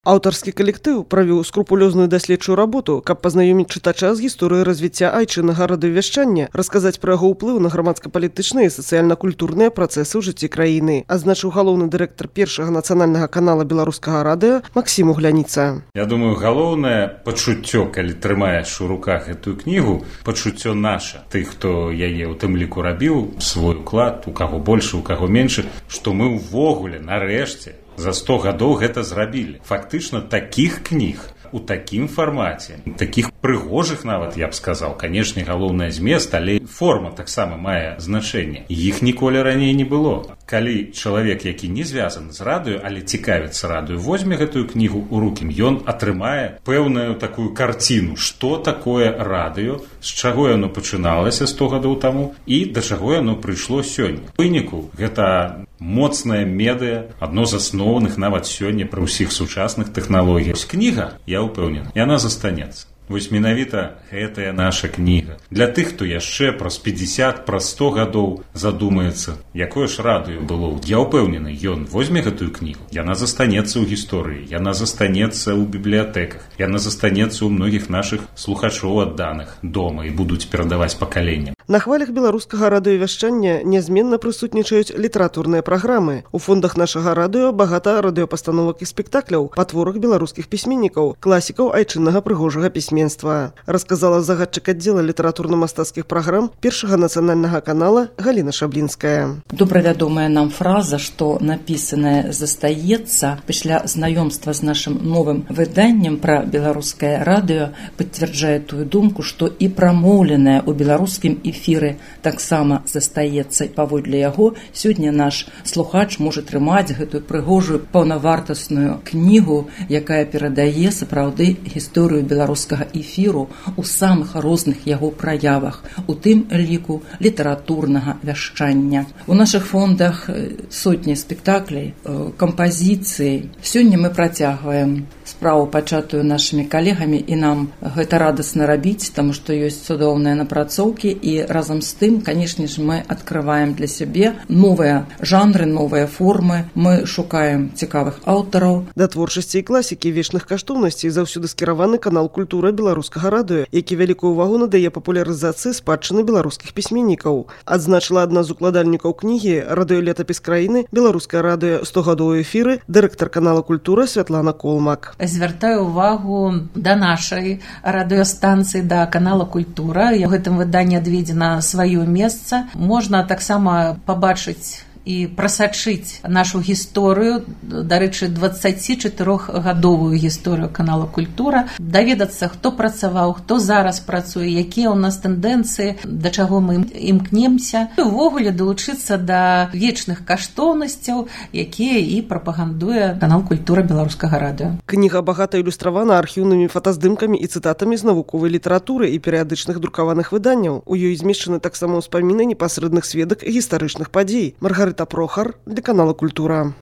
Аўтарскі калектыў правіў скрупулёзную даследчую работу, каб пазнаёміць чытача з гісторыяй развіцця айчыннага радыёвяшчання, расказаць пра яго ўплыў на грамадска-палітычныя і сацыяльна-культурныя працэсы ў жыцці краіны, азначыў галоўны дырэктар першага нацыянальнага канала беларускага радыё Максім Угляніца. Я думаю, галоўнае пачуццё, калі трымаеш у руках гэтую кнігу, пачуццё наша, тых, хто яе ў тым ліку рабіў, свой уклад, у каго больше, у каго менш, што мы ўвогуле нарэшце за 100 гадоў гэта зрабілі. Фактычна такіх кніг у такім фармаце, такіх прыгожых нават, я б сказаў, канешне, галоўнае змест, але форма таксама мае значэнне. Іх ніколі раней не было. Калі чалавек, які не звязаны з радыё, але цікавіцца радыё, возьме гэтую кнігу ў рукі, ён атрымае пэўную такую карціну, што такое радыё, з чаго яно пачыналася 100 гадоў таму і да чаго яно прыйшло сёння. У выніку гэта моцная медыа, адно з асноўных нават сёння пры ўсіх сучасных тэхналогіях. Кніга, я ўпэўнены, яна застанецца. Вось менавіта гэтая наша кніга. Для тых, хто яшчэ праз 50, праз 100 гадоў задумаецца, якое ж радыё было. Я ўпэўнены, ён возьме гэтую кнігу. Яна застанецца ў гісторыі, яна застанецца ў бібліятэках, яна застанецца ў многіх нашых слухачоў адданых дома і будуць перадаваць пакаленням. На хвалях беларускага радыёвяшчання нязменна прысутнічаюць літаратурныя праграмы. У фондах нашага радыё багата радыёпастановак і спектакляў па творах беларускіх пісьменнікаў, класікаў айчыннага прыгожага пісьменства, расказала загадчык аддзела літаратурна-мастацкіх праграм першага нацыянальнага канала Галіна Шаблінская. Добра вядомая нам фраза, што напісанае застаецца, пасля знаёмства з нашым новым выданнем пра беларускае радыё пацвярджае тую думку, што і прамоўленае ў беларускім эфіры таксама застаецца. Паводле яго сёння наш слухач можа трымаць гэтую прыгожую паўнавартасную кнігу, якая перадае сапраўды гісторыю беларускага эфіру у самых розных яго праявах, у тым ліку літаратурнага вяшчання. У нашых фондах сотні спектаклей, кампазіцый. Сёння мы працягваем справу, пачатую нашымі калегамі, і нам гэта радасна рабіць, таму што ёсць цудоўныя напрацоўкі, і разам з тым, канешне ж, мы адкрываем для сябе новыя жанры, новыя формы, мы шукаем цікавых аўтараў. Да творчасці і класікі вечных каштоўнасцей заўсёды скіраваны канал «Культура» беларускага радыё, які вялікую ўвагу надае папулярызацыі спадчыны беларускіх пісьменнікаў. Адзначыла адна з укладальнікаў кнігі «Радыёлетапіс краіны. Беларускае радыё 100 гадоў эфіры» дырэктар канала «Культура» Святлана Колмак. Звяртаю увагу да нашай радыёстанцыі, да канала «Культура». У гэтым выданні адведзена сваё месца. Можна таксама пабачыць і прасачыць нашу гісторыю, дарэчы, 24-гадовую гісторыю канала «Культура», даведацца, хто працаваў, хто зараз працуе, якія ў нас тэндэнцыі, да чаго мы імкнемся, і ўвогуле далучыцца да вечных каштоўнасцяў, якія і прапагандуе канал «Культура» беларускага радыё. Кніга багата ілюстравана архіўнымі фотаздымкамі і цытатамі з навуковай літаратуры і перыядычных друкаваных выданняў. У ёй змешчаны таксама ўспаміны непасрэдных сведак гістарычных падзей. Маргарита Прохар для канала «Культура».